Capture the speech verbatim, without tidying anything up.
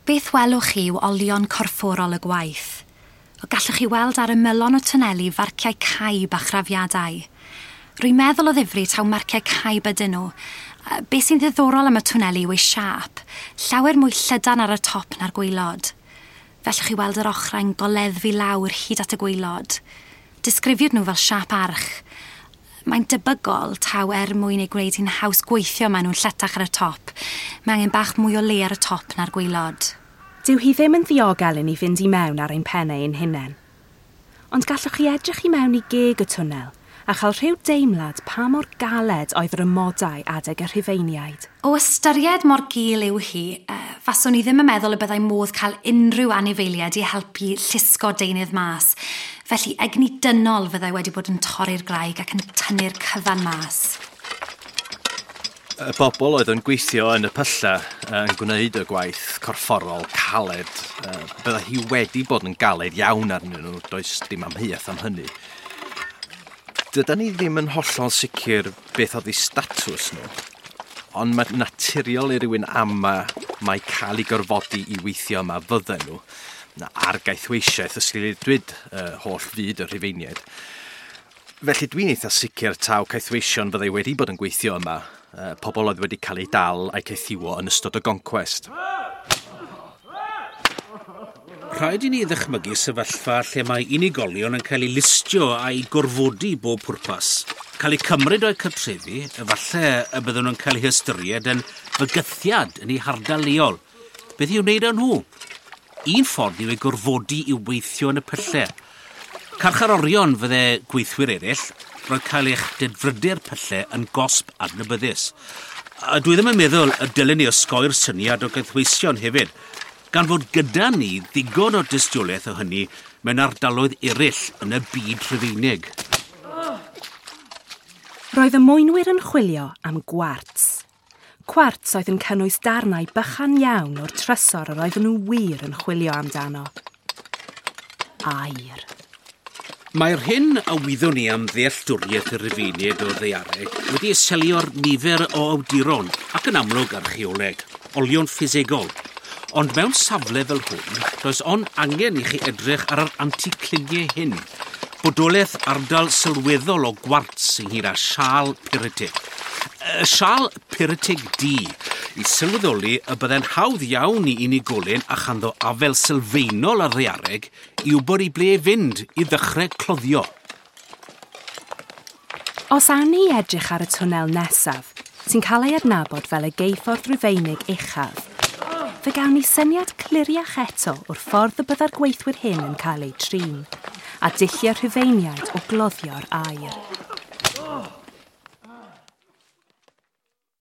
Beth welwch chi yw olion corfforol y gwaith. O gallwch chi weld ar ymylon o twneli farciau caib a chrafiadau. Rwy'n meddwl o ddifri taw marciau caib ydyn nhw. Be sy'n ddiddorol am y twneli yw ei siâp, llawer mwy llydan ar y top na'r gwaelod. Fellwch chi weld yr ochrau'n goleddfu lawr hyd at y gwaelod. Disgrifiwyd nhw fel siâp arch. Mae'n debygol taw er mwyn ei gwneud hi'n haws gweithio maen nhw'n lletach ar y top. Mae angen bach mwy o le ar y top na'r gwaelod. Dyw hi ddim yn ddiogel i ni fynd i mewn ar ein pennau ein hunain. Ond gallwch chi edrych i mewn i geg y twnnel a chael rhyw deimlad pa mor galed oedd yr amodau adeg y Rhufeiniaid. O ystyried mor gul yw hi, uh, faswn i ddim yn meddwl y byddai modd cael unrhyw anifeiliaid i helpu llusgo deunydd mas. Felly egni dynol fyddai wedi bod yn torri'r graig ac yn tynnu'r cyfan mas. Y bobl oedd yn gweithio yn y pylla yn gwneud y gwaith corfforol caled, byddai hi wedi bod yn galed iawn arnyn nhw, does dim amheuaeth am hynny. Dydan ni ddim yn hollol sicr beth oedd eu statws nhw, ond mae naturiol i rywun ama mae cael ei gorfodi i weithio yma fydden nhw, na ar gaethweisiaeth ysgrifenwyd uh, holl fyd y Rhufeiniaid. Felly dwi'n eitha sicr taw caethweision fyddai wedi bod yn gweithio yma, uh, pobl oedd wedi cael eu dal a'i caethiwo yn ystod y goncwest. Rhaid i ni ddychmygu sefyllfa lle mae unigolion yn cael eu listio a'i gorfodi bob pwrpas. Cael eu cymryd o'u cartrefi, efallai y byddwn nhw'n cael eu hystyried yn fygythiad yn eu hardal leol. Beth i'w wneud â nhw? Un ffordd yw eu gorfodi i weithio yn y pyllau. Carcharorion fydde gweithwyr eraill, roedd cael eich dedfrydu'r pyllau yn gosb adnabyddus. A dwi ddim yn meddwl y dylen ni osgoi'r syniad o gaethweision hefyd, gan fod gyda ni ddigon o dystiolaeth o hynny mewn ardaloedd eraill yn y byd Rhufeinig. Roedd y mwynwyr yn chwilio am gwarts. Cwarts oedd yn cynnwys darnau bychan iawn o'r trysor yr oedden nhw wir yn chwilio amdano. Aur. Mae'r hyn a wyddwn ni am ddealltwriaeth y Rhufeiniaid o ddaeareg wedi selio'r nifer o awduron ac yn amlwg archeoleg, olion ffisegol. Ond mewn safle fel hwn, does ond angen i chi edrych ar yr anticliniau hyn. Bodolaeth ardal sylweddol o gwarts ynghyd â siâl pyritig. Y siâl pyritig du i sylweddoli y byddai'n hawdd iawn i unigolyn a chanddo afel sylfaenol ar ddaeareg i wybod i ble fynd i ddechrau cloddio. Os awn ni edrych ar y twnnel nesaf, sy'n cael ei adnabod fel y geuffordd Rufeinig uchaf, fe gawn ni syniad cliriach eto o'r ffordd y byddai'r gweithwyr hyn yn cael eu trin, a dulliau Rhufeiniaid o gloddio'r aur.